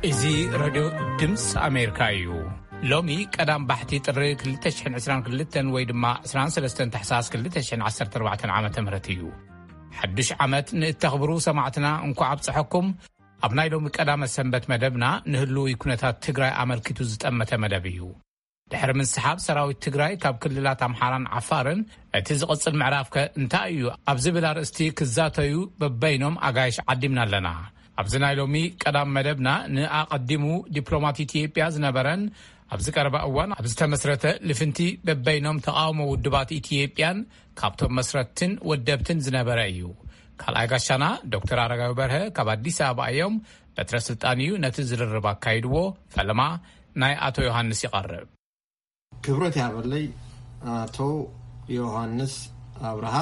እዚ ሬድዮ ድምፂ ኣሜሪካ እዩ። ሎሚ ቀዳም ባሕቲ ጥሪ ክልተ ሽሕን ዕስራን ክልተን ወይ ድማ ዕስራን ሰለስተን ታሕሳስ ክልተ ሽሕን ዓሰርተ ኣርባዕተን ዓመተ ምህረት እዩ። ሓዱሽ ዓመት ንእተኽብሩ ሰማዕትና እንኳዕ ኣብፀሐኩም። ኣብ ናይ ሎሚ ቀዳመ ሰንበት መደብና ንህልዊ ኩነታት ትግራይ ኣመልኪቱ ዝጠመተ መደብ እዩ። ድሕሪ ምስሓብ ሰራዊት ትግራይ ካብ ክልላት ኣምሓራን ዓፋርን፣ እቲ ዝቕጽል ምዕራፍከ እንታይ እዩ ኣብ ዝብል ኣርእስቲ ክዛተዩ በበይኖም ኣጋይሽ ዓዲምና ኣለና። ኣብዚ ናይ ሎሚ ቀዳም መደብና ንኣቐዲሙ ዲፕሎማት ኢትዮጵያ ዝነበረን ኣብዚ ቀረባ እዋን ኣብ ዝተመስረተ ልፍንቲ በበይኖም ተቓውሞ ውድባት ኢትዮጵያን ካብቶም መስረትትን ወደብትን ዝነበረ እዩ። ካልኣይ ጋሻና ዶክተር ኣረጋዊ በርሀ ካብ ኣዲስ ኣበባ እዮም። በትረ ስልጣን እዩ ነቲ ዝርርብ ኣካይድዎ። ፈለማ ናይ ኣቶ ዮሃንስ ይቐርብ። ክብረት ያበለይ ኣቶ ዮሃንስ ኣብርሃ።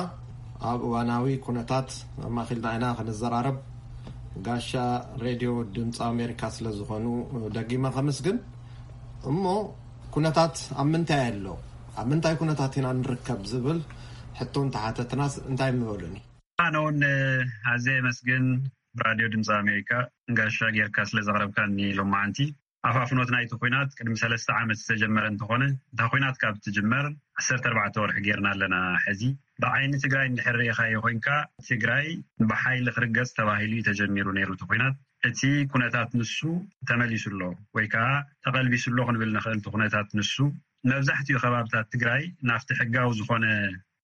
ኣብ እዋናዊ ኩነታት ኣማኺልና ኢና ክንዘራረብ። ጋሻ ሬድዮ ድምፂ ኣሜሪካ ስለ ዝኾኑ ደጊመ ከምስግን። እሞ ኩነታት ኣብ ምንታይ ኣሎ? ኣብ ምንታይ ኩነታት ኢና ንርከብ ዝብል ሕቶ እንተሓተትናስ እንታይ ምበሉኒ? ኣነ እውን ኣዝየ የመስግን ብራድዮ ድምፂ ኣሜሪካ ጋሻ ጌርካ ስለ ዘቕረብካኒ ሎማዓንቲ። ኣፋፍኖት ናይቲ ኲናት ቅድሚ ሰለስተ ዓመት ዝተጀመረ እንተኾነ፣ እታ ኲናት ካብ ትጅመር ዓሰርተ ኣርባዕተ ወርሒ ጌርና ኣለና። ሕዚ ብዓይኒ ትግራይ እንድሕር ርኢኻዮ ኮይንካ፣ ትግራይ ብሓይሊ ክርገጽ ተባሂሉ እዩ ተጀሚሩ ነይሩ እቲ ኲናት። እቲ ኩነታት ንሱ ተመሊሱ ኣሎ ወይ ከዓ ተቐልቢሱ ኣሎ ክንብል ንኽእል። እቲ ኩነታት ንሱ መብዛሕትኡ ከባብታት ትግራይ ናብቲ ሕጋዊ ዝኾነ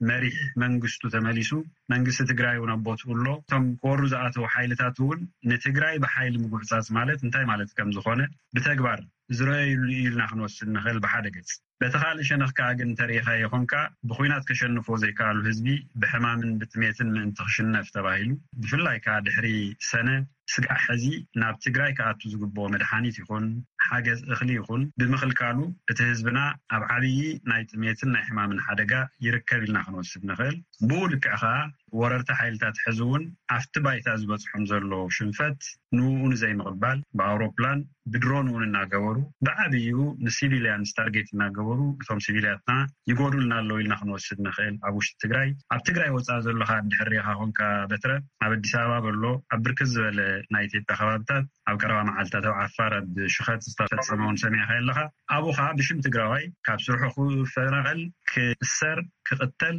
መሪሕ መንግስቱ ተመሊሱ፣ መንግስቲ ትግራይ እውን ኣብ ቦትኡ ኣሎ። እቶም ክወሩ ዝኣተዉ ሓይልታት እውን ንትግራይ ብሓይሊ ምጉዕጻጽ ማለት እንታይ ማለት ከም ዝኾነ ብተግባር ዝረኣዩሉ እዩ ኢልና ክንወስድ ንኽእል ብሓደ ገጽ። በቲ ካልእ ሸነኽ ከኣ ግን እንተሪኢኻዮ ኾንካ ብኹናት ከሸንፎ ዘይከኣሉ ህዝቢ ብሕማምን ብጥሜትን ምእንቲ ክሽነፍ ተባሂሉ ብፍላይ ከኣ ድሕሪ ሰነ ስጋዕ ሕዚ ናብ ትግራይ ክኣቱ ዝግብኦ መድሓኒት ይኹን ሓገዝ እኽሊ ይኹን ብምኽልካሉ እቲ ህዝብና ኣብ ዓብዪ ናይ ጥሜትን ናይ ሕማምን ሓደጋ ይርከብ ኢልና ክንወስድ ንኽእል። ብኡ ልክዕ ኸኣ ወረርቲ ሓይልታት ሕዚ እውን ኣብቲ ባይታ ዝበፅሖም ዘሎ ሽንፈት ንኡ ንዘይምቕባል ብኣውሮፕላን ብድሮን እውን እናገበሩ ብዓብይኡ ንሲቪልያንስ ታርጌት እናገበሩ እቶም ሲቪልያትና ይጎዱልና ኣለዉ ኢልና ክንወስድ ንኽእል። ኣብ ውሽጢ ትግራይ ኣብ ትግራይ ወፃእ ዘሎ ኸኣ እንድሕር ርኢኻ ኾንካ በትረ ኣብ ኣዲስ ኣበባ በሎ ኣብ ብርክት ዝበለ ናይ ኢትዮጵያ ከባብታት ኣብ ቀረባ መዓልታት ኣብ ዓፋር ኣብ ሽኸት ዝተፈፀመ እውን ሰሚዕኻ ኣለኻ። ኣብኡ ኸዓ ብሽም ትግራዋይ ካብ ስርሑ ክፈናቐል ክእሰር ክቕተል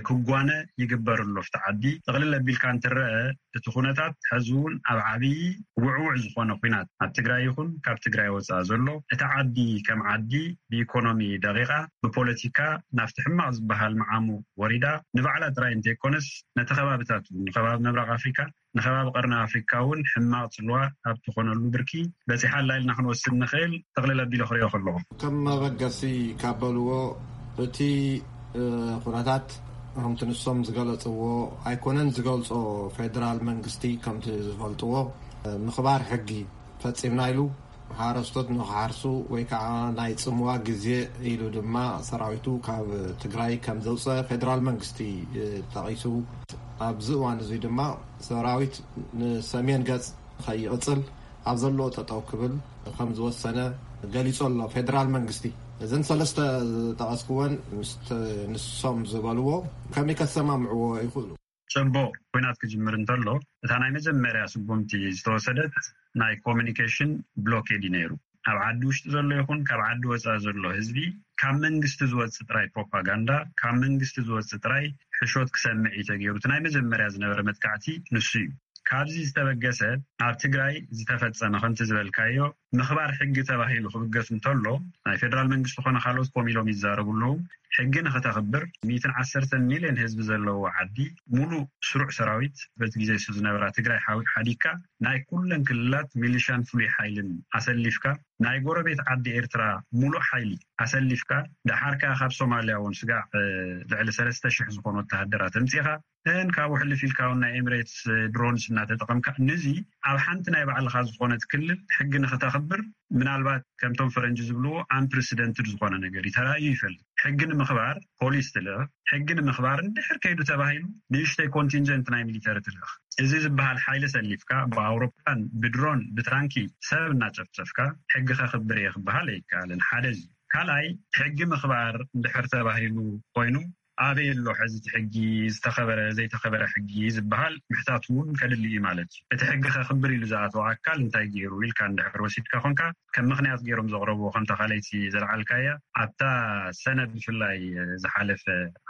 ክጓነ ይግበር ኣሎ። ኣብቲ ዓዲ ጥቕልል ኣቢልካ እንትረአ እቲ ኩነታት ሕዚ እውን ኣብ ዓብዪ ውዕውዕ ዝኾነ ኩናት ኣብ ትግራይ ይኹን ካብ ትግራይ ወፃእ ዘሎ እቲ ዓዲ ከም ዓዲ ብኢኮኖሚ ደቂቓ ብፖለቲካ ናብቲ ሕማቕ ዝበሃል መዓሙ ወሪዳ ንባዕላ ጥራይ እንተይኮነስ ነቲ ከባብታት እውን ንከባቢ ምብራቕ ኣፍሪካ ንከባቢ ቀርኒ ኣፍሪካ እውን ሕማቕ ፅልዋ ኣብ ትኾነሉ ብርኪ በፂሓ ኣላ ኢልና ክንወስድ ንኽእል። ጥቕልል ኣቢለ ክሪኦ ከለኹ ከም መበገሲ ካብ በልዎ እቲ ኩነታት ከምቲ ንሶም ዝገለፅዎ ኣይኮነን ዝገልፆ። ፌደራል መንግስቲ ከምቲ ዝፈልጥዎ ምኽባር ሕጊ ፈፂምና ኢሉ ሓረስቶት ንክሓርሱ ወይ ከዓ ናይ ፅምዋ ግዜ ኢሉ ድማ ሰራዊቱ ካብ ትግራይ ከም ዘውፀ ፌደራል መንግስቲ ጠቒሱ። ኣብዚ እዋን እዚ ድማ ሰራዊት ንሰሜን ገፅ ከይቕፅል ኣብ ዘለዎ ጠጠው ክብል ከም ዝወሰነ ገሊፁ ኣሎ ፌደራል መንግስቲ። እዘን ሰለስተ ዝጠቐስክወን ምስ ንሶም ዝበልዎ ከመይ ከሰማምዕዎ ይኽእሉ? ጽቡቕ፣ ኲናት ክጅምር እንተሎ እታ ናይ መጀመርያ ስጉምቲ ዝተወሰደት ናይ ኮሚኒኬሽን ብሎኬድ እዩ ነይሩ። ኣብ ዓዲ ውሽጢ ዘሎ ይኹን ካብ ዓዲ ወጻኢ ዘሎ ህዝቢ ካብ መንግስቲ ዝወጽእ ጥራይ ፕሮፓጋንዳ፣ ካብ መንግስቲ ዝወጽእ ጥራይ ሕሾት ክሰምዕ እዩ ተገይሩ። እቲ ናይ መጀመርያ ዝነበረ መጥቃዕቲ ንሱ እዩ። ካብዚ ዝተበገሰ ኣብ ትግራይ ዝተፈጸመ ከምቲ ዝበልካዮ ምኽባር ሕጊ ተባሂሉ ክብገስ እንተሎ ናይ ፌደራል መንግስቲ ኮነ ካልኦት ኮም ኢሎም ይዛረቡ ኣለዉ። ሕጊ ንኽተኽብር ሚእትን ዓሰርተን ሚልዮን ህዝቢ ዘለዎ ዓዲ ሙሉእ ስሩዕ ሰራዊት በቲ ግዜ እሱ ዝነበራ ትግራይ ሓው- ሓዲግካ ናይ ኩለን ክልላት ሚሊሻን ፍሉይ ሓይልን ኣሰሊፍካ ናይ ጎረቤት ዓዲ ኤርትራ ሙሉእ ሓይሊ ኣሰሊፍካ ደሓር ከኣ ካብ ሶማልያ እውን ስጋዕ ልዕሊ ሰለስተ ሽሕ ዝኾኑ ወተሃደራት ኣምጺኻ እን ካብኡ ሕልፍ ኢልካ እውን ናይ ኤምሬትስ ድሮንስ እናተጠቐምካ ነዚ ኣብ ሓንቲ ናይ ባዕልኻ ዝኾነት ክልል ሕጊ ንኽተኽብር ምናልባት ከምቶም ፈረንጂ ዝብልዎ ኣምፕረሲደንትድ ዝኾነ ነገር እዩ ተራእዩ ይፈልጥ። ሕጊ ንምኽባር ፖሊስ ትልእኽ። ሕጊ ንምኽባር እንድሕር ከይዱ ተባሂሉ ንእሽተይ ኮንቲንጀንት ናይ ሚሊተሪ ትልእኽ። እዚ ዝበሃል ሓይሊ ሰሊፍካ ብኣውሮፕላን ብድሮን ብታንኪ ሰብ እናጨፍጨፍካ ሕጊ ከኽብር እየ ክበሃል ኣይከኣልን። ሓደ እዚ ካልኣይ ሕጊ ምኽባር እንድሕር ተባሂሉ ኮይኑ ኣበይ ኣሎ ሕዚ እቲ ሕጊ? ዝተኸበረ ዘይተኸበረ ሕጊ ዝበሃል ምሕታት እውን ከድሊ እዩ ማለት እዩ። እቲ ሕጊ ከኽብር ኢሉ ዝኣተወ ኣካል እንታይ ገይሩ ኢልካ እንድሕር ወሲድካ ኮንካ፣ ከም ምኽንያት ገይሮም ዘቕረብዎ ከምታ ካልኣይቲ ዘልዓልካያ ኣብታ ሰነ ብፍላይ ዝሓለፈ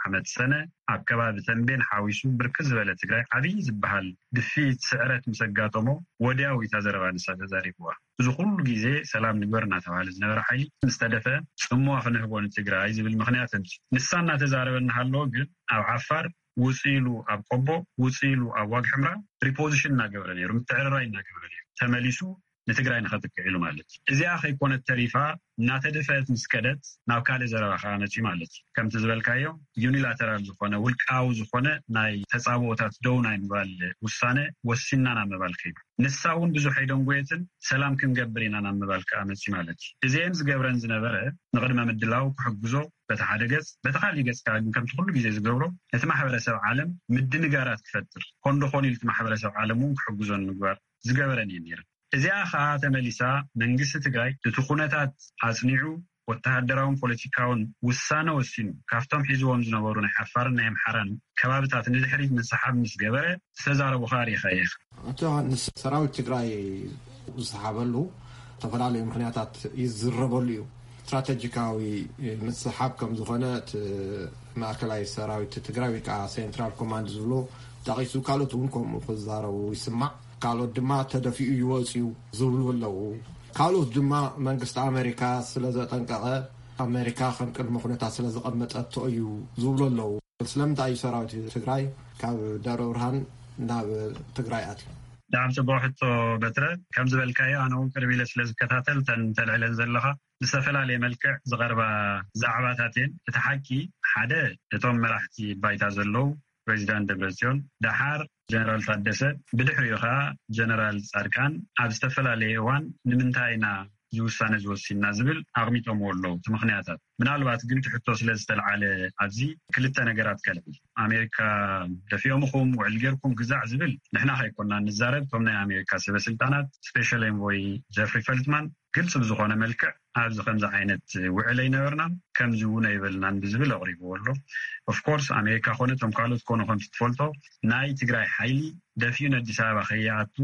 ዓመት ሰነ ኣብ ከባቢ ተንቤን ሓዊሱ ብርክት ዝበለ ትግራይ ዓብዪ ዝበሃል ድፊት ስዕረት ምስ ኣጋጠሞ ወዲያው እታ ዘረባ ንሳ ተዛሪብዋ። እዚ ኩሉ ግዜ ሰላም ንግበር እናተባሃለ ዝነበረ ሓይሊ ምስ ተደፈ ጽምዋ ክንህቦ ንትግራይ ዝብል ምኽንያት ኣምጺኡ። ንሳ እናተዛረበ እናሃለወ ግን ኣብ ዓፋር ውጽእ ኢሉ ኣብ ቆቦ ውጽእ ኢሉ ኣብ ዋግ ሕምራ ሪፖዚሽን እናገበረ ነይሩ፣ ምትዕርራይ እናገበረ ነይሩ። ተመሊሱ ንትግራይ ንኸጥቅዕ ኢሉ ማለት እዩ። እዚኣ ከይኮነት ተሪፋ እናተደፈአት ምስ ከደት ናብ ካልእ ዘረባ ከዓ መፅዩ ማለት እዩ። ከምቲ ዝበልካዮ ዩኒላተራል ዝኾነ ውልቃዊ ዝኾነ ናይ ተፃብኦታት ደው ናይ ምባል ውሳነ ወሲና ናብ ምባል ከይዱ። ንሳ እውን ብዙሕ ኣይደንጎየትን ሰላም ክንገብር ኢና ናብ ምባል ከዓ መፅዩ ማለት እዩ። እዚአን ዝገብረን ዝነበረ ንቕድመ ምድላው ክሕግዞ በቲ ሓደ ገፅ፣ በቲ ካሊእ ገፅ ከዓ ግን ከምቲ ኩሉ ግዜ ዝገብሮ ነቲ ማሕበረሰብ ዓለም ምድንጋራት ክፈጥር ኮንዶ ኮን ኢሉ እቲ ማሕበረሰብ ዓለም እውን ክሕግዞ ንምግባር ዝገበረን እየን ነይረን። እዚኣ ኸዓ ተመሊሳ መንግስቲ ትግራይ እቲ ኩነታት ኣፅኒዑ ወተሃደራውን ፖለቲካውን ውሳነ ወሲኑ ካብቶም ሒዝዎም ዝነበሩ ናይ ዓፋርን ናይ ኣምሓራን ከባብታት ንድሕሪት ምንስሓብ ምስ ገበረ ዝተዛረቡ ኸዓ ርኢኻ ኢኻ። ኣቶ ዮሃንስ፣ ሰራዊት ትግራይ ዝሰሓበሉ ዝተፈላለዩ ምኽንያታት ይዝረበሉ እዩ። ስትራቴጂካዊ ምስሓብ ከም ዝኾነ እቲ ማእከላይ ሰራዊት ትግራይ ወይ ከዓ ሴንትራል ኮማንድ ዝብሎ ጠቒሱ፣ ካልኦት እውን ከምኡ ክዛረቡ ይስማዕ። ካልኦት ድማ ተደፊኡ ይወፅዩ ዝብሉ ኣለዉ። ካልኦት ድማ መንግስቲ ኣሜሪካ ስለ ዘጠንቀቐ፣ ኣሜሪካ ከም ቅድመ ኩነታት ስለ ዘቐመጠቶ እዩ ዝብሉ ኣለዉ። ስለምንታይ እዩ ሰራዊት ትግራይ ካብ ደብረ ብርሃን ናብ ትግራይ ኣትዩ? ብጣዕሚ ጽቡቕ ሕቶ በትረ። ከም ዝበልካዮ ኣነ እውን ቅርብ ኢለ ስለ ዝከታተል እተን ተልዕለን ዘለኻ ብዝተፈላለየ መልክዕ ዝቐርባ ዛዕባታት እየን። እቲ ሓቂ ሓደ እቶም መራሕቲ ባይታ ዘለዉ ፕሬዚዳንት ደብረጽዮን፣ ደሓር ጀነራል ታደሰ፣ ብድሕሪኡ ኸዓ ጀነራል ጻድቃን ኣብ ዝተፈላለየ እዋን ንምንታይ ኢና እዚ ውሳነ ዝወሲንና ዝብል ኣቕሚጦምዎ ኣለዉ እቲ ምኽንያታት። ምናልባት ግን እቲ ሕቶ ስለ ዝተልዓለ ኣብዚ ክልተ ነገራት ከልዕል። ኣሜሪካ ደፊኦም ኢኹም ውዕል ጌርኩም ግዛዕ ዝብል ንሕና ከይኮንና ንዛረብ፣ እቶም ናይ ኣሜሪካ ሰበ ስልጣናት ስፔሻል ኤንቮይ ጀፍሪ ፈልትማን ግልፂ ብዝኾነ መልክዕ ኣብዚ ከምዚ ዓይነት ውዕል ኣይነበርናን ከምዚ እውን ኣይበልናን ብዝብል ኣቕሪብዎ ኣሎ። ኦፍኮርስ ኣሜሪካ ኮነ እቶም ካልኦት ኮኑ ከምቲ ትፈልጦ ናይ ትግራይ ሓይሊ ደፊኡ ንኣዲስ ኣበባ ከይኣቱ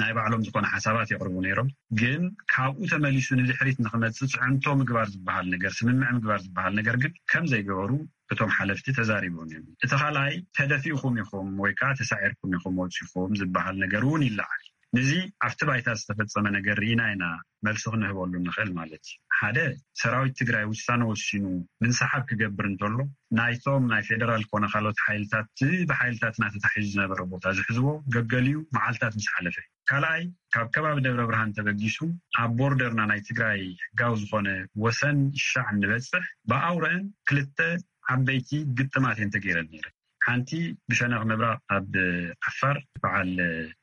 ናይ ባዕሎም ዝኾነ ሓሳባት የቕርቡ ነይሮም። ግን ካብኡ ተመሊሱ ንድሕሪት ንክመፅእ ፅዕንቶ ምግባር ዝበሃል ነገር፣ ስምምዕ ምግባር ዝበሃል ነገር ግን ከም ዘይገበሩ እቶም ሓለፍቲ ተዛሪቦም እዮም። እቲ ካልኣይ ተደፊእኩም ኢኹም ወይ ከዓ ተሳዒርኩም ኢኹም ወፂኹም ዝበሃል ነገር እውን ይለዓል። ንዚ ኣብቲ ባይታ ዝተፈፀመ ነገር ርኢና ኢና መልሲ ክንህበሉ ንኽእል ማለት እዩ። ሓደ ሰራዊት ትግራይ ውሳነ ወሲኑ ምንስሓብ ክገብር እንተሎ ናይቶም ናይ ፌደራል ኮነ ካልኦት ሓይልታት እቲ ብሓይልታትና ተታሒዙ ዝነበረ ቦታ ዝሕዝዎ ገገሊኡ መዓልታት ምስ ሓለፈ እዩ። ካልኣይ ካብ ከባቢ ደብረ ብርሃን ተበጊሱ ኣብ ቦርደርና ናይ ትግራይ ሕጋዊ ዝኾነ ወሰን ሻዕ እንበፅሕ ብኣውረአን ክልተ ዓበይቲ ግጥማት እየን ተገይረን ነይረን። ሓንቲ ብሸነኽ ምብራቕ ኣብ ዓፋር በዓል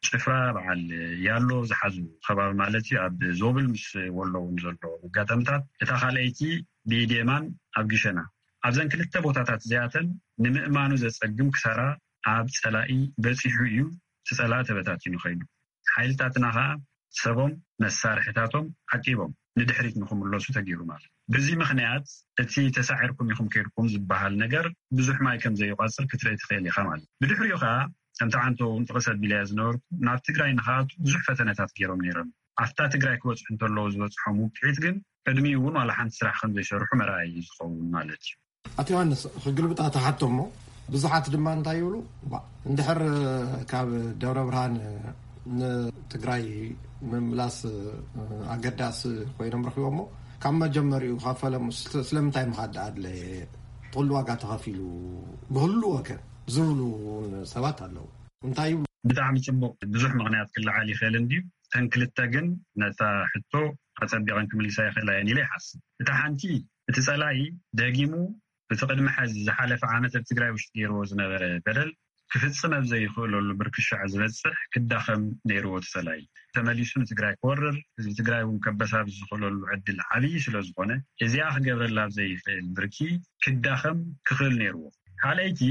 ጭፍራ በዓል ያሎ ዝሓዙ ከባቢ ማለት እዩ። ኣብ ዞብል ምስ ወሎ እውን ዘሎ ኣጋጣምታት። እታ ካልኣይቲ ብኢድ የማን ኣብ ግሸና። ኣብዘን ክልተ ቦታታት እዚኣተን ንምእማኑ ዘጸግም ክሳራ ኣብ ጸላኢ በጺሑ እዩ። እቲ ጸላኢ ተበታቲኑ ኸይዱ። ሓይልታትና ኸኣ ሰቦም መሳርሕታቶም ዓቂቦም ንድሕሪት ንኽምለሱ ተገይሩ ማለት እዩ። በዚ ምኽንያት እቲ ተሳዒርኩም ኢኹም ከይድኩም ዝበሃል ነገር ብዙሕ ማይ ከም ዘይቋጽር ክትርኢ ትኽእል ኢኻ ማለት እዩ። ብድሕሪኡ ኸኣ ከምቲ ዓንቶ እውን ጥቕስ ኣቢለያ ዝነበርኩ ናብ ትግራይ ንኽኣቱ ብዙሕ ፈተነታት ገይሮም ነይሮም። ኣብታ ትግራይ ክበጽሑ እንተለዉ ዝበጽሖም ውቅዒት ግን ቅድሚኡ እውን ዋላ ሓንቲ ስራሕ ከም ዘይሰርሑ መርኣያ እዩ ዝኸውን ማለት እዩ። ኣቶ ዮሃንስ ክግልብጣ ተሓቶ እሞ ብዙሓት ድማ እንታይ ይብሉ፣ ባ እንድሕር ካብ ደብረ ብርሃን ንትግራይ ምምላስ ኣገዳሲ ኮይኖም ረኪቦሞ ካብ መጀመሪኡ ካብ ፈለሙ ስለ- ስለምንታይ ምኻድ ኣድለየ? ትኽሉ ዋጋ ተኸፊሉ ብህሉ ወገን ዝብሉ እውን ሰባት ኣለዉ። እንታይ ይብሉ? ብጣዕሚ ጽቡቕ። ብዙሕ ምኽንያት ክለዓል ይኽእል እንድዩ። እተን ክልተ ግን ነታ ሕቶ ኣጸቢቐን ክምልሳ ይኽእላ እየን ኢለ ይሓስብ። እታ ሓንቲ እቲ ጸላኢ ደጊሙ እቲ ቅድሚ ሐዚ ዝሓለፈ ዓመት ኣብ ትግራይ ውሽጢ ገይርዎ ዝነበረ በደል ክፍጽም ኣብ ዘይኽእለሉ ብርክሻዕ ዝበጽሕ ክዳኸም ነይርዎ እቲ ጸላኢ። ተመሊሱ ንትግራይ ክወርር ህዝቢ ትግራይ እውን ከበሳብ ዝኽእለሉ ዕድል ዓብዪ ስለ ዝኾነ እዚኣ ክገብረላ ኣብ ዘይኽእል ብርኪ ክዳኸም ክኽእል ነይርዎ። ካልኣይቲ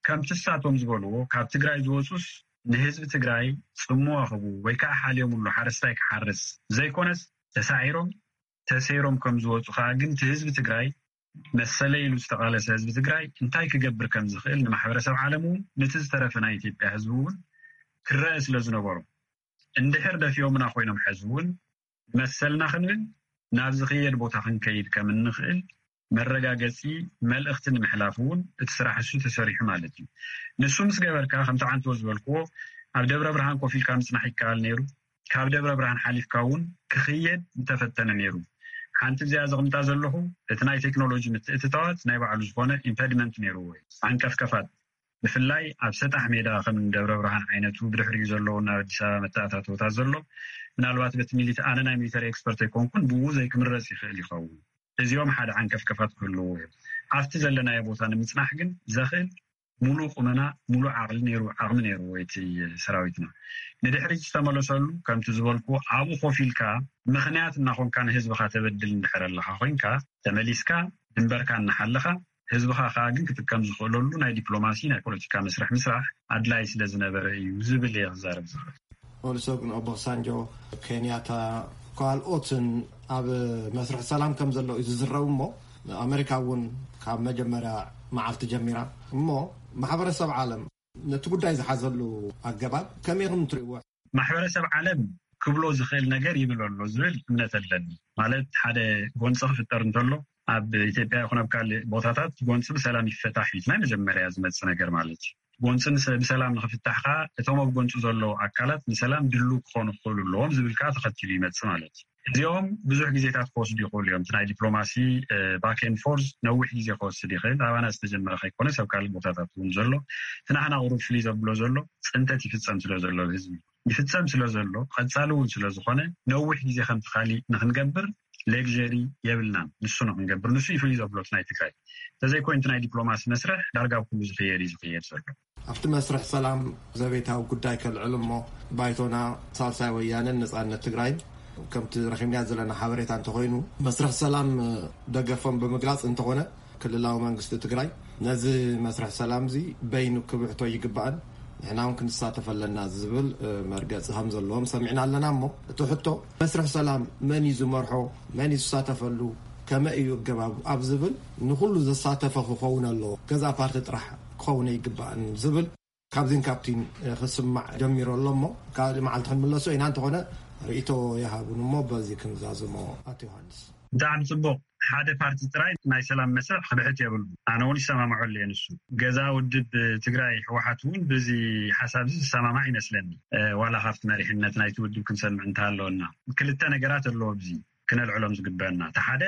ከምቲ እሳቶም ዝበልዎ ካብ ትግራይ ዝወፁስ ንህዝቢ ትግራይ ጽምዋ ክህቡ ወይ ከዓ ሓልዮምሉ ሓረስታይ ክሓርስ ዘይኮነስ ተሳዒሮም ተሰይሮም ከም ዝወፁ ከዓ ግን እቲ ህዝቢ ትግራይ መሰለ ኢሉ ዝተቓለሰ ህዝቢ ትግራይ እንታይ ክገብር ከም ዝኽእል ንማሕበረሰብ ዓለም እውን፣ ነቲ ዝተረፈ ናይ ኢትዮጵያ ህዝቢ እውን ክረአ ስለ ዝነበሮ፣ እንድሕር ደፊኦምና ኮይኖም፣ ሕዚ እውን መሰልና ክንብል፣ ናብ ዝኽየድ ቦታ ክንከይድ ከም እንኽእል መረጋገፂ መልእኽቲ ንምሕላፍ እውን እቲ ስራሕ እሱ ተሰሪሑ ማለት እዩ። ንሱ ምስ ገበርካ፣ ከምቲ ዓንቶ ዝበልክዎ፣ ኣብ ደብረ ብርሃን ኮፍ ኢልካ ምፅናሕ ይከኣል ነይሩ። ካብ ደብረ ብርሃን ሓሊፍካ እውን ክኽየድ ምተፈተነ ነይሩ። ሓንቲ እዚኣ ዘቕምጣ ዘለኹ፣ እቲ ናይ ቴክኖሎጂ ምትእትታዋት ናይ ባዕሉ ዝኾነ ኢምፐድመንት ነይርዎ እዩ፣ ዓንቀፍቀፋት። ብፍላይ ኣብ ሰጣሕ ሜዳ ከም ደብረ ብርሃን ዓይነቱ፣ ብድሕሪኡ ዘለዉ ናብ ኣዲስ ኣበባ መተኣታተውታት ዘሎ፣ ምናልባት በቲ ሚሊት-፣ ኣነ ናይ ሚሊተሪ ኤክስፐርት ኣይኮንኩን፣ ብኡ ዘይክምረጽ ይኽእል ይኸውን። እዚኦም ሓደ ዓንቀፍቀፋት ክህልዎ እዮም። ኣብቲ ዘለናዮ ቦታ ንምጽናሕ ግን ዘኽእል ሙሉእ ቁመና፣ ሙሉእ ዓቕሊ ነይሩ፣ ዓቕሚ ነይሩ እቲ ሰራዊትና። ንድሕሪት ዝተመለሰሉ፣ ከምቲ ዝበልኩ፣ ኣብኡ ኮፍ ኢልካ ምኽንያት እናኾንካ ንህዝብኻ ተበድል እንድሕር ኣለኻ ኮይንካ፣ ተመሊስካ ድንበርካ እናሓለኻ፣ ህዝብኻ ከኣ ግን ክጥቀም ዝኽእለሉ ናይ ዲፕሎማሲ፣ ናይ ፖለቲካ መስርሕ ምስራሕ ኣድላይ ስለ ዝነበረ እዩ ዝብል እየ ክዛረብ ዝኽእል። ኦሉሰጉን ኦባሳንጆ፣ ኬንያታ፣ ካልኦትን ኣብ መስርሕ ሰላም ከም ዘለዉ እዩ ዝዝረብ። እሞ ኣሜሪካ እውን ካብ መጀመርያ መዓልቲ ጀሚራ፣ እሞ ማሕበረሰብ ዓለም ነቲ ጉዳይ ዝሓዘሉ ኣገባብ ከመይ ኢኹም ትርእይዎ? ማሕበረሰብ ዓለም ክብሎ ዝኽእል ነገር ይብል ኣሎ ዝብል እምነት ኣለኒ። ማለት፣ ሓደ ጎንፂ ክፍጠር እንተሎ፣ ኣብ ኢትዮጵያ ይኹን ኣብ ካልእ ቦታታት ጎንፂ ብሰላም ይፈታሕ እዩ፣ ናይ መጀመርያ ዝመፅእ ነገር ማለት እዩ። ጎንፂ ንሰ-፣ ብሰላም ንኽፍታሕ ከዓ እቶም ኣብ ጎንፂ ዘለዉ ኣካላት ንሰላም ድልው ክኾኑ ክኽእሉ ኣለዎም ዝብል ከዓ ተኸቲሉ ይመፅእ ማለት እዩ። እዚኦም ብዙሕ ግዜታት ክወስዱ ይኽእሉ እዮም። እቲ ናይ ዲፕሎማሲ፣ እ፣ ባክ ኤንድ ፎርዝ ነዊሕ ግዜ ክወስድ ይኽእል። ኣባና ዝተጀመረ ከይኮነስ ኣብ ካልእ ቦታታት እውን ዘሎ፣ እቲ ናህና ቁሩብ ፍልይ ዘብሎ ዘሎ፣ ፅንተት ይፍፀም ስለ ዘሎ ህዝቢ ይፍጸም ስለ ዘሎ፣ ቀጻሊ እውን ስለ ዝኾነ፣ ነዊሕ ግዜ ከምቲ ካሊእ ንኽንገብር ሌግዠሪ የብልናን። ንሱ ንኽንገብር፣ ንሱ እዩ ፍልይ ዘብሎ እቲ ናይ ትግራይ። እንተዘይኮይኑ፣ እቲ ናይ ዲፕሎማሲ መስርሕ ዳርጋ ኣብ ኩሉ ዝኽየድ እዩ ዝኽየድ ዘሎ። ኣብቲ መስርሕ ሰላም ዘቤታዊ ጉዳይ ከልዕል እሞ፣ ባይቶና፣ ሳልሳይ ወያነን ነጻነት ትግራይን፣ ከምቲ ረኺብናዮ ዘለና ሓበሬታ እንተኾይኑ፣ መስርሕ ሰላም ደገፎም ብምግላጽ እንተኾነ፣ ክልላዊ መንግስቲ ትግራይ ነዚ መስርሕ ሰላም እዚ በይኑ ክብሕቶ ይግባእን ንሕና እውን ክንሳተፍ ኣለና ዝብል፣ እ፣ መርገጺ ከም ዘለዎም ሰሚዕና ኣለና። እሞ እቲ ሕቶ፣ መስርሕ ሰላም መን እዩ ዝመርሖ፣ መን እዩ ዝሳተፈሉ፣ ከመይ እዩ ኣገባቡ ኣብ ዝብል ንኹሉ ዘሳተፈ ክኸውን ኣለዎ። ገዛ ፓርቲ ጥራሕ ክኸውን ኣይግባእን ዝብል ካብዚን ካብቲን፣ እ፣ ክስማዕ ጀሚሩ ኣሎ። እሞ ካልእ መዓልቲ ክንምለሶ ኢና። እንተኾነ ርእይቶ ይሃቡን እሞ በዚ ክንዛዝሞ። ኣቶ ዮሃንስ። ብጣዕሚ ጽቡቕ። ሓደ ፓርቲ ጥራይ ናይ ሰላም መስርሕ ክብሕት የብሉ። ኣነ እውን ይሰማምዐሉ እየ። ንሱ ገዛ ውድብ ትግራይ፣ ህወሓት፣ እውን ብዚ ሓሳብ እዚ ዝሰማማዕ ይመስለኒ። እ፣ ዋላ ካብቲ መሪሕነት ናይቲ ውድብ ክንሰምዕ እንተሃለወና፣ ክልተ ነገራት ኣለዎ ኣብዚ ክነልዕሎም ዝግበአና። እቲ ሓደ፣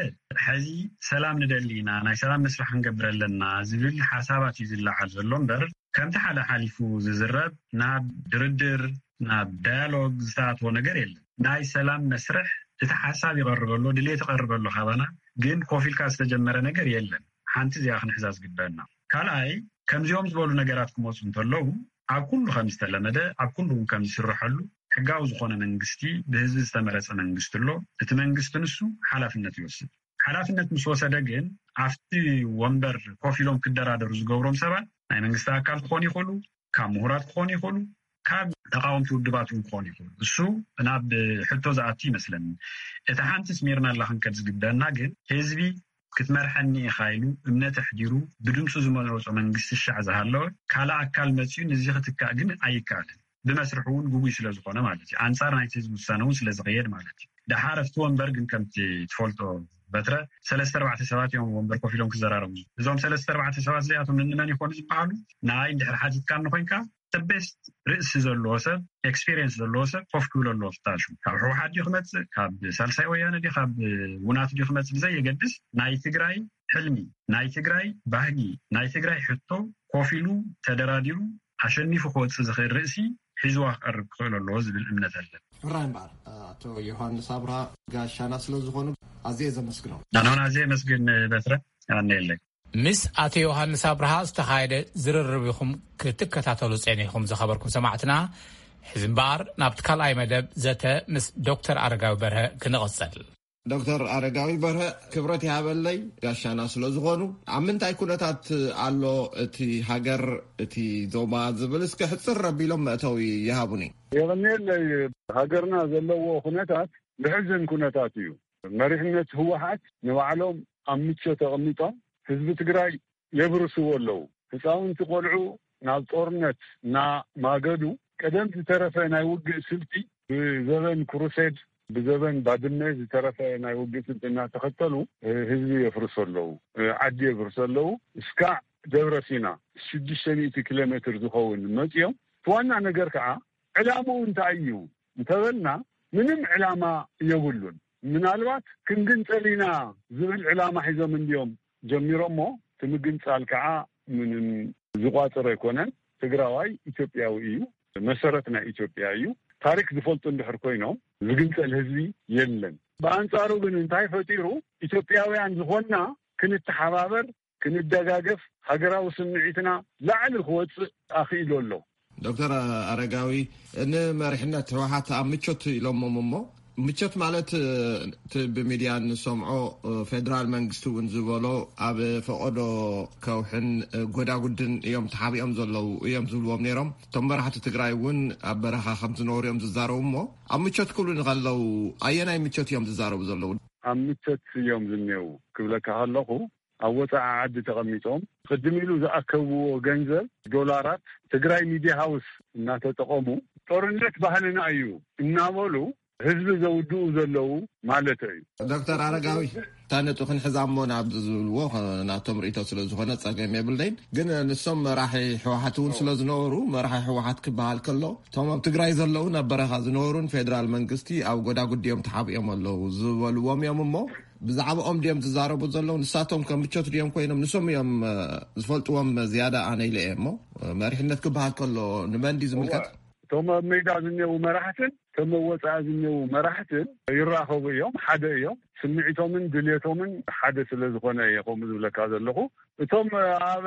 ሕዚ ሰላም ንደሊ ኢና፣ ናይ ሰላም መስርሕ ክንገብር ኣለና ዝብል ሓሳባት እዩ ዝለዓል ዘሎ እምበር፣ ከምቲ ሓደ ሓሊፉ ዝዝረብ ናብ ድርድር፣ ናብ ዳያሎግ ዝተኣትዎ ነገር የለን። ናይ ሰላም መስርሕ እቲ ሓሳብ ይቐርበሎ፣ ድሌት ይቐርበሎ ካባና፣ ግን ኮፍ ኢልካ ዝተጀመረ ነገር የለን። ሓንቲ እዚኣ ክንሕዛ ዝግበአና። ካልኣይ፣ ከምዚኦም ዝበሉ ነገራት ክመፁ እንተለዉ፣ ኣብ ኩሉ ከም ዝተለመደ፣ ኣብ ኩሉ እውን ከም ዝስርሐሉ፣ ሕጋዊ ዝኾነ መንግስቲ፣ ብህዝቢ ዝተመረፀ መንግስቲ ኣሎ። እቲ መንግስቲ ንሱ ሓላፍነት ይወስድ። ሓላፍነት ምስ ወሰደ ግን፣ ኣብቲ ወንበር ኮፍ ኢሎም ክደራደሩ ዝገብሮም ሰባት ናይ መንግስቲ ኣካል ክኾኑ ይኽእሉ፣ ካብ ምሁራት ክኾኑ ይኽእሉ፣ ካብ ተቃወምቲ ውድባት እውን ክኾኑ ይኽእሉ። እሱ ናብ ሕቶ ዝኣቱ ይመስለኒ። እቲ ሓንቲ ስሚርና ኣላ ክንከድ ዝግበአና ግን፣ ህዝቢ ክትመርሐኒ ኢኻ ኢሉ እምነት ኣሕዲሩ ብድምፁ ዝመረፆ መንግስቲ ሻዕ ዝሃለወ፣ ካልእ ኣካል መፂኡ ንዚ ክትካእ ግን ኣይከኣልን። ብመስርሑ እውን ግጉይ ስለ ዝኾነ ማለት እዩ። ኣንፃር ናይቲ ህዝቢ ውሳነ እውን ስለ ዝኸየድ ማለት እዩ። ደሓር ኣብቲ ወንበር ግን፣ ከምቲ ትፈልጦ በትረ፣ ሰለስተ ኣርባዕተ ሰባት እዮም ወንበር ኮፍ ኢሎም ክዘራረቡ። እዞም ሰለስተ ኣርባዕተ ሰባት እዚኣቶም እንመን ይኾኑ ዝበሃሉ? ንኣይ እንድሕር ሓቲትካኒ ኮይንካ፣ ቤስት ርእሲ ዘለዎ ሰብ፣ ኤክስፒሪየንስ ዘለዎ ሰብ ኮፍ ክብል ኣለዎ ፍታሹ። ካብ ህወሓት ድዩ ክመፅእ፣ ካብ ሳልሳይ ወያነ ድዩ፣ ካብ ውናት ድዩ ክመፅእ ብዘየገድስ፣ ናይ ትግራይ ሕልሚ፣ ናይ ትግራይ ባህጊ፣ ናይ ትግራይ ሕቶ ኮፍ ኢሉ ተደራዲሩ ኣሸኒፉ ክወፅእ ዝኽእል ርእሲ ሒዝዋ ክቐርብ ክኽእል ኣለዎ ዝብል እምነት ኣለኒ። ሕራይ እምበኣር፣ ኣቶ ዮሃንስ ኣብርሃ ጋሻና ስለ ዝኾኑ ኣዝየ ዘመስግኖም። ኣነ እውን ኣዝየ የመስግን በትረ፣ ኣነ የለይ። ምስ ኣቶ ዮሃንስ ኣብርሃ ዝተኻየደ ዝርርብ ኢኹም ክትከታተሉ ጸኒሕኩም ዝኸበርኩም ሰማዕትና። ሕዚ እምበኣር ናብቲ ካልኣይ መደብ ዘተ ምስ ዶክተር ኣረጋዊ በርሀ ክንቕጽል። ዶክተር ኣረጋዊ በርሀ፣ ክብረት ይሃበለይ ጋሻና ስለ ዝኾኑ፣ ኣብ ምንታይ ኩነታት ኣሎ እቲ ሃገር፣ እቲ ዞባ ዝብል እስከ ሕጽር ኣቢሎም መእተዊ ይሃቡኒ። የቐንየለይ። ሃገርና ዘለዎ ኩነታት ዘሕዝን ኩነታት እዩ። መሪሕነት ህወሓት ንባዕሎም ኣብ ምቾት ተቐሚጦም ህዝቢ ትግራይ የብርስዎ ኣለዉ። ህፃውንቲ ቆልዑ ናብ ጦርነት እናማገዱ ቀደም ዝተረፈ ናይ ውግእ ስልቲ ብዘበን ክሩሴድ ብዘበን ባድመ ዝተረፈ ናይ ውግእ ስልቲ እናተኸተሉ ህዝቢ የፍርሱ ኣለዉ። ዓዲ የፍርሱ ኣለዉ። እስካዕ ደብረ ሲና ሽዱሽተ ሚእቲ ኪሎ ሜትር ዝኸውን መፅኦም። እቲ ዋና ነገር ከዓ ዕላምኡ እንታይ እዩ እንተበልና ምንም ዕላማ የብሉን። ምናልባት ክንግንፀል ኢና ዝብል ዕላማ ሒዞም እንድዮም ጀሚሮሞ። እቲ ምግንፃል ከዓ ምንም ዝቋፅር ኣይኮነን። ትግራዋይ ኢትዮጵያዊ እዩ። መሰረት ናይ ኢትዮጵያ እዩ። ታሪክ ዝፈልጡ እንድሕር ኮይኖም ዝግንፀል ህዝቢ የለን። ብኣንፃሩ ግን እንታይ ፈጢሩ? ኢትዮጵያውያን ዝኾንና ክንተሓባበር፣ ክንደጋገፍ፣ ሃገራዊ ስምዒትና ላዕሊ ክወፅእ ኣኽኢሉ ኣሎ። ዶክተር ኣረጋዊ፣ ንመሪሕነት ህወሓት ኣብ ምቾት ኢሎሞም እሞ፣ ምቾት ማለት እቲ ብሚድያ እንሰምዖ ፌደራል መንግስቲ እውን ዝበሎ ኣብ ፈቐዶ ከውሕን ጎዳጉድን እዮም ተሓቢኦም ዘለዉ እዮም ዝብልዎም ነይሮም። እቶም መራሕቲ ትግራይ እውን ኣብ በረኻ ከም ዝነበሩ እዮም ዝዛረቡ እሞ፣ ኣብ ምቾት ክብሉ ንኸለዉ ኣየናይ ምቾት እዮም ዝዛረቡ ዘለዉ? ኣብ ምቾት እዮም ዝኔዉ ክብለካ ከለኹ፣ ኣብ ወፃኢ ዓዲ ተቐሚጦም ቅድም ኢሉ ዝኣከብዎ ገንዘብ ዶላራት ትግራይ ሚድያ ሃውስ እናተጠቐሙ ጦርነት ባህልና እዩ እናበሉ ህዝቢ ዘውድኡ ዘለዉ ማለት እዩ። ዶክተር ኣረጋዊ፣ እታ ነጥቢ ክንሕዛ እሞ ናብ ዝብልዎ ናቶም ርእይቶ ስለ ዝኾነ ጸገም የብልናይን። ግን ንሶም መራሒ ህወሓት እውን ስለ ዝነበሩ፣ መራሒ ህወሓት ክበሃል ከሎ እቶም ኣብ ትግራይ ዘለዉ ናብ በረኻ ዝነበሩን ፌደራል መንግስቲ ኣብ ጎዳጉዲ እዮም ተሓቢኦም ኣለዉ ዝበልዎም እዮም እሞ ብዛዕባኦም ድዮም ዝዛረቡ ዘለዉ? ንሳቶም ከም ምቾት ድዮም ኮይኖም? ንሶም እዮም ዝፈልጥዎም ዝያዳ ኣነ ኢለ እየ እሞ መሪሕነት ክበሃል ከሎ ንመን ድዩ ዝምልከት? እቶም ኣብ ሜዳ ዝኔዉ መራሕትን እቶም ኣብ ወፃኢ ዝኔዉ መራሕትን ይራኸቡ እዮም፣ ሓደ እዮም። ስምዒቶምን ድልየቶምን ሓደ ስለ ዝኾነ እየ ከምኡ ዝብለካ ዘለኹ። እቶም ኣብ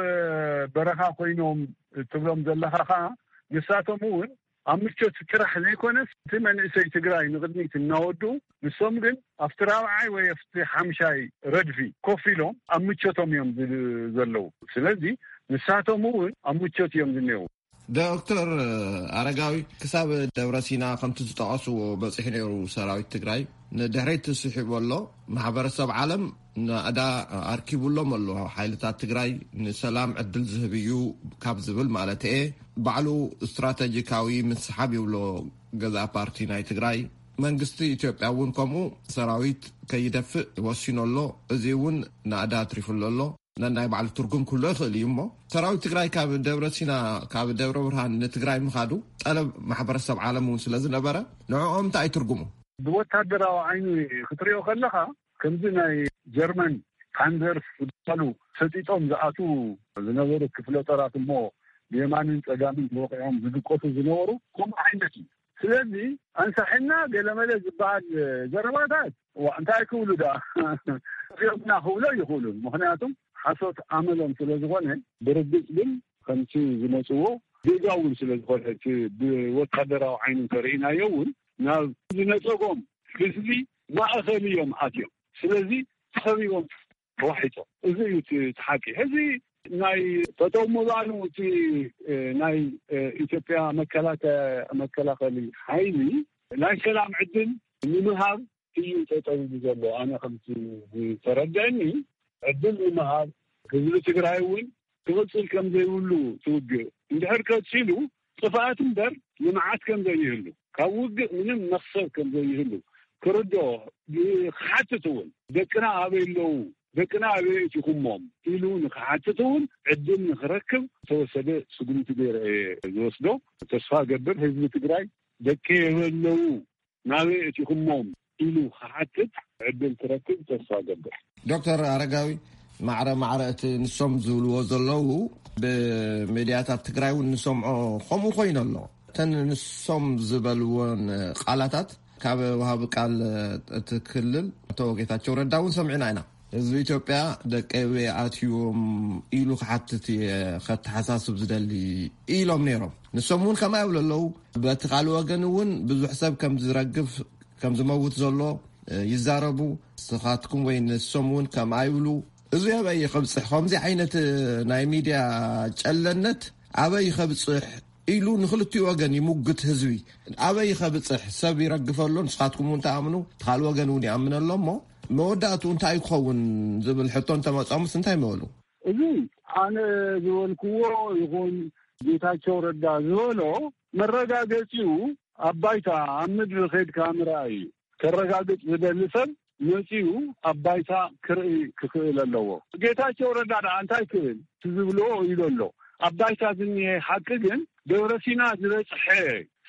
በረኻ ኮይኖም ትብሎም ዘለኻ ኸዓ ንሳቶም እውን ኣብ ምቾት ጥራሕ ዘይኮነስ እቲ መንእሰይ ትግራይ ንቕድሚት እናወዱ ንሶም ግን ኣብቲ ራብዓይ ወይ ኣብቲ ሓምሻይ ረድፊ ኮፍ ኢሎም ኣብ ምቾቶም እዮም ዝ- ዘለዉ። ስለዚ ንሳቶም እውን ኣብ ምቾት እዮም ዝኔዉ። ዶክተር ኣረጋዊ፣ ክሳብ ደብረ ሲና ከምቲ ዝጠቐስዎ በፂሑ ነይሩ ሰራዊት ትግራይ፣ ንድሕሪት ስሒቡ ኣሎ። ማሕበረሰብ ዓለም ናእዳ ኣርኪቡሎም ኣሎ። ሓይልታት ትግራይ ንሰላም ዕድል ዝህብ እዩ ካብ ዝብል ማለት እየ። ባዕሉ ስትራተጂካዊ ምስሓብ ይብሎ ገዛ ፓርቲ ናይ ትግራይ። መንግስቲ ኢትዮጵያ እውን ከምኡ ሰራዊት ከይደፍእ ወሲኑ ኣሎ። እዚ እውን ናእዳ ኣትሪፉሉ ኣሎ። ነናይ ባዕሉ ትርጉም ክህሎ ይኽእል እዩ። እሞ ሰራዊት ትግራይ ካብ ደብረ ሲና፣ ካብ ደብረ ብርሃን ንትግራይ ምኻዱ ጠለብ ማሕበረሰብ ዓለም እውን ስለ ዝነበረ፣ ንዕኦም እንታይ እዩ ትርጉሙ? ብወታደራዊ ዓይኒ ክትሪኦ ከለኻ፣ ከምዚ ናይ ጀርመን ፓንዘርስ ዝበሃሉ ሰጢጦም ዝኣትዉ ዝነበሩ ክፍለ ጦራት እሞ ብየማንን ጸጋምን ተወቒዖም ዝድቀሱ ዝነበሩ ከምኡ ዓይነት እዩ። ስለዚ ኣንሳሕና ገለመለ ዝበሃል ዘረባታት፣ ዋ፣ እንታይ ክብሉ ደኣ? እዚኦምና ክብሎ ይኽእሉን። ምኽንያቱም ሓሶት ኣመሎም ስለ ዝኾነ፣ ብርግጽ ግን ከምቲ ዝመጽዎ ጌጋ እውን ስለ ዝኾነ፣ እቲ ብወታደራዊ ዓይኒ እንተርኢናዮ እውን ናብ ዝነጸጎም ህዝቢ ማእከል እዮም ኣትዮም። ስለዚ ተኸቢቦም ተዋሒጦም። እዚ እዩ እቲ፣ እቲ ሓቂ። ሕዚ ናይ ጠጠው ምባሉ እቲ፣ እ፣ ናይ፣ እ፣ ኢትዮጵያ መከላከ-፣ መከላኸሊ ሓይሊ ናይ ሰላም ዕድል ንምሃብ እዩ ጠጠው ኢሉ ዘሎ። ኣነ ከምቲ ዝተረድአኒ ዕድል ንምሃብ ህዝቢ ትግራይ እውን ክቕጽል ከም ዘይብሉ ትውግእ። እንድሕር ቀጺሉ ጥፍኣት እምበር ልምዓት ከም ዘይህሉ፣ ካብ ውግእ ምንም መኽሰብ ከም ዘይህሉ ክርድኦ፣ ክሓትት እውን፣ ደቅና ኣበይ ኣለዉ? ደቅና ኣበይ ኣእቲኹሞም? ኢሉ ንክሓትት እውን ዕድል ንክረክብ ዝተወሰደ ስጉምቲ ገይረ እየ ዝወስዶ። ተስፋ እገብር ህዝቢ ትግራይ ደቂ የበለዉ ናበይ ኣእቲኹሞም ኢሉ ክሓትት ዕድል ክረክብ ተስፋ እገብር። ዶክተር ኣረጋዊ፣ ማዕረ ማዕረ እቲ ንሶም ዝብልዎ ዘለዉ ብሚድያታት ትግራይ እውን ንሰምዖ ከምኡ ኮይኑ ኣሎ። እተን ንሶም ዝበልዎን ቃላታት ካብ ወሃቢ ቃል እቲ ክልል ኣቶ ጌታቸው ረዳ እውን ሰሚዕና ኢና። ህዝቢ ኢትዮጵያ ደቀይ ኣበይ ኣትዮም ኢሉ ክሓትት እየ ከተሓሳስብ ዝደሊ ኢሎም ነይሮም። ንሶም እውን ከምኣ ይብሉ ኣለዉ። በቲ ካልእ ወገን እውን ብዙሕ ሰብ ከም ዝረግፍ፣ ከም ዝመውት ዘሎ ይዛረቡ። ንስኻትኩም ወይ ንሶም እውን ከምኣ ይብሉ። እዚ ኣበይ ይኸብጽሕ? ከምዚ ዓይነት ናይ ሚድያ ጨለነት ኣበይ ይኸብጽሕ ኢሉ ንክልቲኡ ወገን ይሙግት ህዝቢ። ኣበይ ይኸብጽሕ? ሰብ ይረግፈ ኣሎ፣ ንስኻትኩም እውን ትኣምኑ፣ እቲ ካልእ ወገን እውን ይኣምን ኣሎ። እሞ መወዳእቱ እንታይ ክኸውን ዝብል ሕቶ እንተመጾምስ እንታይ ምበሉ? እዚ ኣነ ዝበልክዎ ይኹን ጌታቸው ረዳ ዝበሎ መረጋገጺኡ ኣብ ባይታ ኣብ ምድሪ ኸድካ ምርኣይ እዩ። ከረጋግጽ ዝደሊ ሰብ መጺኡ ኣብ ባይታ ክርኢ ክኽእል ኣለዎ። ጌታቸው ረዳ ደኣ እንታይ ክብል? እቲ ዝብልዎ ኢሉ ኣሎ። ኣብ ባይታ ዝኒሀ ሓቂ ግን ደብረ ሲና ዝበጽሐ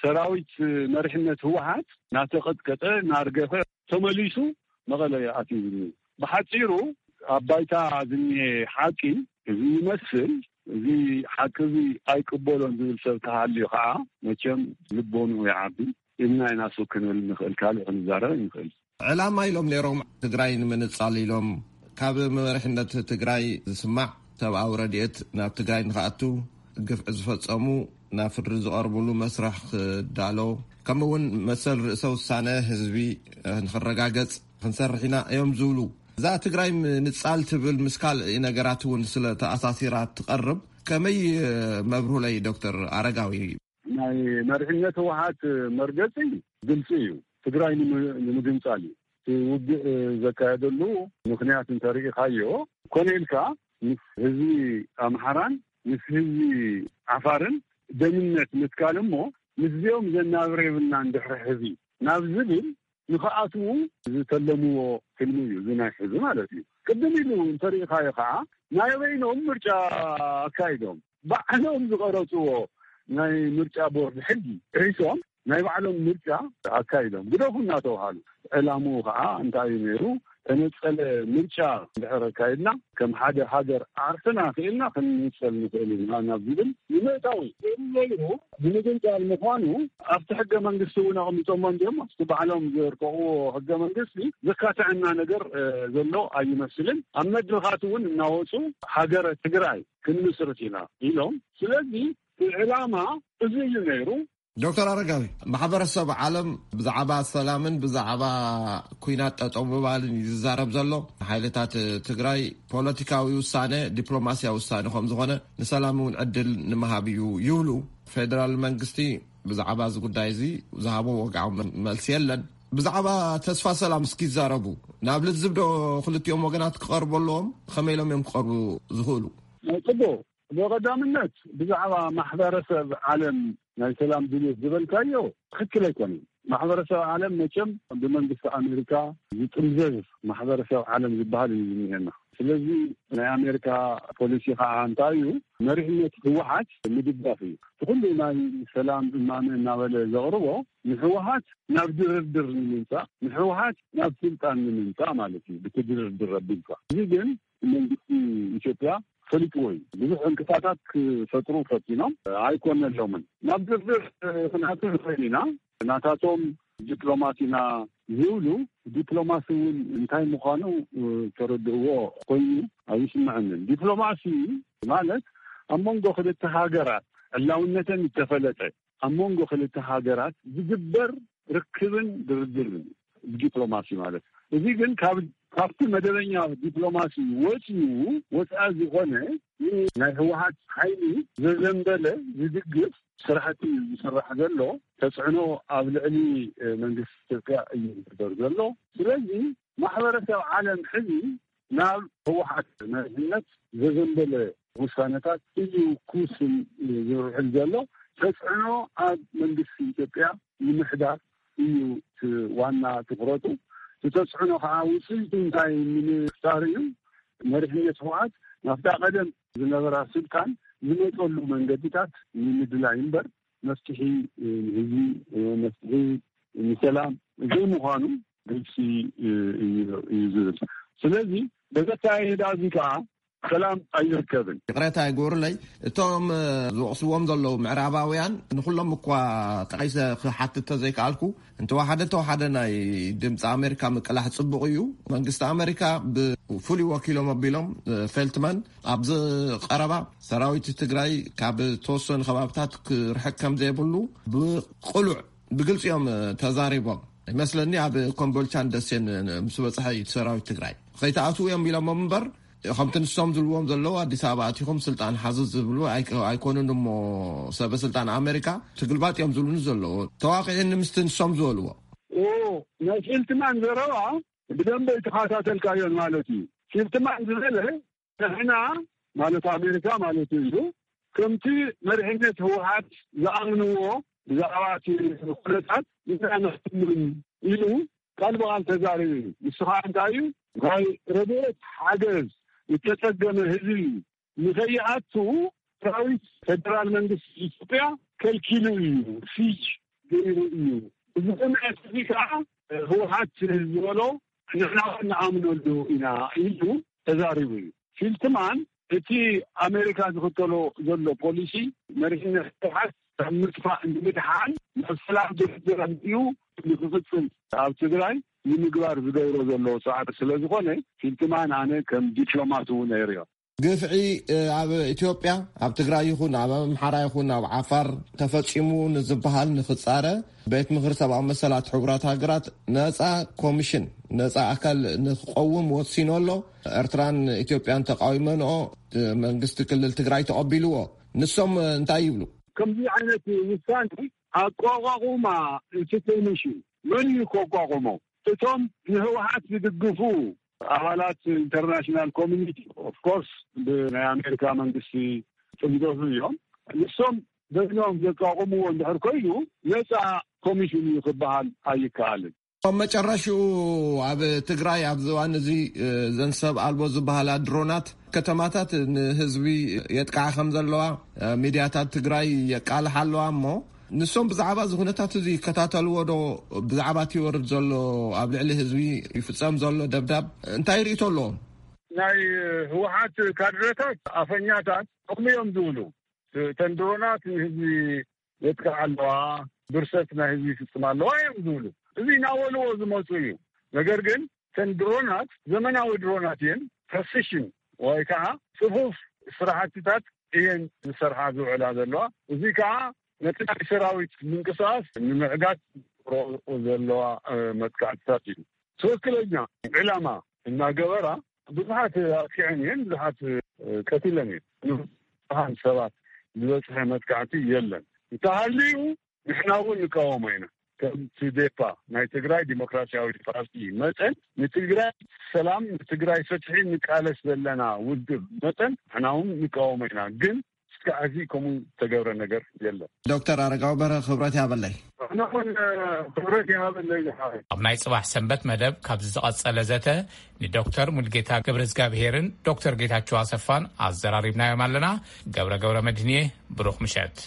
ሰራዊት መሪሕነት ህወሓት ናተቐጥቀጠ ናርገፈ ተመሊሱ መቐለ ኣትዩ ዝኒሀ። ብሓጺሩ ኣብ ባይታ ዝኒሀ ሓቂ እዚ ይመስል። እዚ ሓቂ እዚ ኣይቅበሎን ዝብል ሰብ ተሃልዩ ከዓ መቸም ልቦንኡ ይዓቢ ኢልና ኢና ሱብ ክንብል ንኽእል፣ ካልእ ክንዛረብ ንኽእል። ዕላማ ኢሎም ነይሮም ትግራይ ንምንጻል ኢሎም ካብ መሪሕነት ትግራይ ዝስማዕ ሰብኣዊ ረድኤት ናብ ትግራይ ንኽኣቱ፣ ግፍዒ ዝፈጸሙ ናብ ፍርዲ ዝቐርብሉ መስርሕ ክዳሎ፣ ከምኡ እውን መሰል ርእሰ ውሳነ ህዝቢ ንኽረጋገጽ ክንሰርሕ ኢና እዮም ዝብሉ። እዛ ትግራይ ምንጻል ትብል ምስ ካልእ ነገራት እውን ስለ ተኣሳሲራ ትቐርብ። ከመይ መብርሁለይ ዶክተር ኣረጋዊ? ናይ መሪሕነት ህወሓት መርገጺ ግልጺ እዩ። ትግራይ ንምግንጻል እዩ። እቲ ውግእ ዘካየደሉ ምኽንያት እንተርኢኻዮ፣ ኮነ ኢልካ ምስ ህዝቢ ኣምሓራን ምስ ህዝቢ ዓፋርን ደምነት ምትካል እሞ ምስዚኦም ዘናብር የብልናን ድሕሪ ሕዚ ናብ ዝብል ንኽኣትዉ ዝተለምዎ ሕልሚ እዩ። እዚ ናይ ሕዚ ማለት እዩ። ቅድም ኢሉ እንተርኢኻዮ ከዓ ናይ በይኖም ምርጫ ኣካይዶም ባዕሎም ዝቐረፅዎ ናይ ምርጫ ቦርድ ሕጊ ጥሒሶም ናይ ባዕሎም ምርጫ ኣካይዶም ግደፉ እናተባሃሉ። ዕላምኡ ከዓ እንታይ እዩ ነይሩ? ተነፀለ ምርጫ እንድሕር ኣካይድና ከም ሓደ ሃገር ዓርስና ክኢልና ክንንፀል ንኽእል ኢና ናብ ዝብል ንምእታው እዩ። ነይሩ ንምግንፃል ምዃኑ ኣብቲ ሕገ መንግስቲ እውን ኣቕሚጦሞ እንዲኦም ኣብቲ ባዕሎም ዘርቀቕዎ ሕገ መንግስቲ ዘካትዐና ነገር ዘሎ ኣይመስልን። ኣብ መድረኻት እውን እናወፁ ሃገረ ትግራይ ክንምስርት ኢና ኢሎም። ስለዚ እቲ ዕላማ እዚ እዩ ነይሩ። ዶክተር ኣረጋዊ፣ ማሕበረሰብ ዓለም ብዛዕባ ሰላምን ብዛዕባ ኩናት ጠጠው ምባልን እዩ ዝዛረብ ዘሎ። ሓይልታት ትግራይ ፖለቲካዊ ውሳነ፣ ዲፕሎማሲያዊ ውሳነ ከም ዝኾነ ንሰላም እውን ዕድል ንምሃብ እዩ ይብሉ። ፌደራል መንግስቲ ብዛዕባ እዚ ጉዳይ እዚ ዝሃቦ ወግዓዊ መ-፣ መልሲ የለን። ብዛዕባ ተስፋ ሰላም እስኪ ይዛረቡ። ናብ ልዝብ ዶ ክልቲኦም ወገናት ክቐርቡ ኣለዎም? ከመይ ኢሎም እዮም ክቐርቡ ዝኽእሉ? ጽቡቕ። ብቐዳምነት ብዛዕባ ማሕበረሰብ ዓለም ናይ ሰላም ድልየት ዝበልካዮ ትኽክል ኣይኮነን። ማሕበረሰብ ዓለም መቸም ብመንግስቲ ኣሜሪካ ዝጥምዘዝ ማሕበረሰብ ዓለም ዝበሃል እዩ ዝኒሀና። ስለዚ ናይ ኣሜሪካ ፖሊሲ ከዓ እንታይ እዩ? መሪሕነት ህወሓት ምድጋፍ እዩ። እቲ ኩሉ ናይ ሰላም እማመ እናበለ ዘቕርቦ ንህወሓት ናብ ድርድር ንምምፃእ፣ ንህወሓት ናብ ስልጣን ንምምፃእ ማለት እዩ። ብቲ ድርድር ኣቢልካ እዚ ግን መንግስቲ ኢትዮጵያ ፈሊጥዎ እዩ። ብዙሕ ዕንቅፋታት ክፈጥሩ ፈቲኖም ኣይኮነሎምን። ናብ ድርድር ክንኣትው ንኽእል ኢና። ናታቶም ዲፕሎማት ኢና ዝብሉ፣ ዲፕሎማሲ እውን እንታይ ምዃኑ ተረድእዎ ኮይኑ ኣይስምዐንን። ዲፕሎማሲ ማለት ኣብ መንጎ ክልተ ሃገራት ዕላውነተን ዝተፈለጠ ኣብ መንጎ ክልተ ሃገራት ዝግበር ርክብን ድርድርን ዲፕሎማሲ ማለት። እዚ ግን ካብ፣ ካብቲ መደበኛ ዲፕሎማሲ ወፂኡ፣ ወፃኢ ዝኾነ ናይ ህወሓት ሓይሊ ዘዘንበለ ዝድግፍ ስራሕቲ እዩ ዝስራሕ ዘሎ። ተፅዕኖ ኣብ ልዕሊ መንግስቲ ኢትዮጵያ እዩ ዝግበር ዘሎ። ስለዚ ማሕበረሰብ ዓለም ሕዚ ናብ ህወሓት መሪሕነት ዘዘንበለ ውሳነታት እዩ ክውስን ዝውዕል ዘሎ። ተፅዕኖ ኣብ መንግስቲ ኢትዮጵያ ንምሕዳር እዩ እቲ ዋና ትኹረቱ። እቲ ተፅዕኖ ከዓ ውፅኢቱ እንታይ ንምፍጣር እዩ? መሪሕነት ህወሓት ናብታ ቀደም ዝነበራ ስልጣን ዝመፀሉ መንገድታት ንምድላይ እምበር መፍትሒ ንህዝቢ፣ መፍትሒ ንሰላም ዘይምዃኑ ግልፂ እዩ፣ እዩ ዝብል። ስለዚ በዘካየዳ እዚ ከዓ ሰላም ኣይርከብን። ይቕሬታ ይግበሩለይ፣ እቶም ዝወቕስዎም ዘለዉ ምዕራባውያን ንኹሎም እኳ ጠቒሰ ክሓትት ተዘይከኣልኩ፣ እንተወሓደ እንተወሓደ ናይ ድምፂ ኣሜሪካ ምቅላሕ ፅቡቕ እዩ። መንግስቲ ኣሜሪካ ብፍሉይ ወኪሎም ኣቢሎም ፌልትማን ኣብዚ ቀረባ ሰራዊት ትግራይ ካብ ተወሰኑ ከባብታት ክርሕቅ ከም ዘይብሉ ብቅሉዕ ብግልፂ እዮም ተዛሪቦም። ይመስለኒ ኣብ ኮምቦልቻን ደሴን ምስ በፅሐ እዩ ሰራዊት ትግራይ ከይተኣትዉ እዮም ኢሎሞም እምበር፣ ከምቲ ንሶም ዝብልዎም ዘለዉ ኣዲስ ኣበባ ኣቲኹም ስልጣን ሓዙ ዝብሉ ኣይኮኑን እሞ፣ ሰበ ስልጣን ኣሜሪካ ትግልባጥ እዮም ዝብሉኒ ዘለዉ። ተዋቂዕኒ ምስቲ ንሶም ዝበልዎ። ናይ ፊልትማን ዘረባ ብደንበ ይተኸታተልካዮን ማለት እዩ። ፊልትማን ዝበለ ንሕና ማለት ኣሜሪካ ማለት እዩ ከምቲ መሪሕነት ህወሓት ዝኣምንዎ ብዛዕባ እቲ ኩነታት ኢና ንሕምን ኢሉ ቃል ብቓል ተዛሪቡ እዩ። ንሱ ከዓ እንታይ እዩ ናይ ረድኤት ሓገዝ ዝተፀገመ ህዝቢ ንኸይኣቱ ሰራዊት ፌደራል መንግስቲ ኢትዮጵያ ከልኪሉ እዩ፣ ሲጅ ገይሩ እዩ። እዚ ኩነት እዚ ከዓ ህወሓት ዝበሎ ንሕና እውን ንኣምነሉ ኢና ኢሉ ተዛሪቡ እዩ። ፊልትማን እቲ ኣሜሪካ ዝኽተሎ ዘሎ ፖሊሲ መሪሕነት ህወሓት ካብ ምጥፋእ ንምድሓን ናብ ሰላም ድርድር ኣምፅኡ ንክቕፅል ኣብ ትግራይ ንምግባር ዝገብሮ ዘሎ ፃዕሪ ስለ ዝኾነ ፊልትማን ኣነ ከም ዲፕሎማት እውን ነይርዮ። ግፍዒ ኣብ ኢትዮጵያ ኣብ ትግራይ ይኹን ኣብ ኣምሓራ ይኹን ኣብ ዓፋር ተፈፂሙ ንዝበሃል ንክፃረ ቤት ምኽሪ ሰብኣዊ መሰላት ሕቡራት ሃገራት ነፃ ኮሚሽን ነፃ ኣካል ንክቀውም ወሲኑ ኣሎ። ኤርትራን ኢትዮጵያን ተቃዊመንኦ መንግስቲ ክልል ትግራይ ተቐቢልዎ። ንሶም እንታይ ይብሉ? ከምዚ ዓይነት ውሳኔ ኣቋቋቑማ እቲ ኮሚሽን መን እዩ ከቋቁሞ? እቶም ንህወሓት ዝድግፉ ኣባላት ኢንተርናሽናል ኮሚኒቲ ኦፍኮርስ ብናይ ኣሜሪካ መንግስቲ ጥምዘዙ እዮም። ንሶም በይኖም ዘቋቁምዎ እንድሕር ኮይኑ ነፃ ኮሚሽን እዩ ክበሃል ኣይከኣልን። ኣብ መጨረሽኡ ኣብ ትግራይ ኣብዚ እዋን እዚ ዘን ሰብ ኣልቦ ዝበሃላ ድሮናት ከተማታት ንህዝቢ የጥቃዓ ከም ዘለዋ ሚድያታት ትግራይ የቃልሓ ኣለዋ። እሞ ንሶም ብዛዕባ እዚ ኩነታት እዚ ይከታተልዎ ዶ? ብዛዕባ እቲ ይወርድ ዘሎ ኣብ ልዕሊ ህዝቢ ይፍፀም ዘሎ ደብዳብ እንታይ ርእይቶ ኣለዎም? ናይ ህወሓት ካድረታት ኣፈኛታት ከምኡ እዮም ዝብሉ። እተን ድሮናት ንህዝቢ የጥቅዓ ኣለዋ፣ ብርሰት ናይ ህዝቢ ይፍፅም ኣለዋ እዮም ዝብሉ። እዚ እናበልዎ ዝመፁ እዩ። ነገር ግን እተን ድሮናት ዘመናዊ ድሮናት እየን፣ ፕረሲሽን ወይ ከዓ ፅፉፍ ስራሕትታት እየን ዝሰርሓ ዝውዕላ ዘለዋ። እዚ ከዓ ነቲ ናይ ሰራዊት ምንቅስቃስ ንምዕጋት ዝገብርኦ ዘለዋ መጥቃዕትታት እዩ። ትክክለኛ ዕላማ እናገበራ ብዙሓት ኣጥቂዐን እየን፣ ብዙሓት ቀቲለን እየን። ንብዙሓን ሰባት ዝበፅሐ መጥቃዕቲ የለን። እንተሃልዩ ንሕና እውን ንቃወሞ ኢና። ከም ትዴፓ ናይ ትግራይ ዲሞክራሲያዊ ፓርቲ መጠን ንትግራይ ሰላም ንትግራይ ፍትሒ ንቃለስ ዘለና ውድብ መጠን ንሕና እውን ንቃወሞ ኢና። ግን እስካዕ ሕዚ ከምኡ ዝተገብረ ነገር የለን። ዶክተር ኣረጋዊ በርሀ ክብረት ይሃበለይ። ኣነ እውን ክብረት ይሃበለይ ዝሓወይ። ኣብ ናይ ጽባሕ ሰንበት መደብ ካብዚ ዝቐጸለ ዘተ ንዶክተር ሙልጌታ ገብረዝጋብሄርን ዶክተር ጌታቸው ኣሰፋን ኣዘራሪብናዮም ኣለና። ገብረ ገብረ መድህንየ ብሩኽ ምሸት።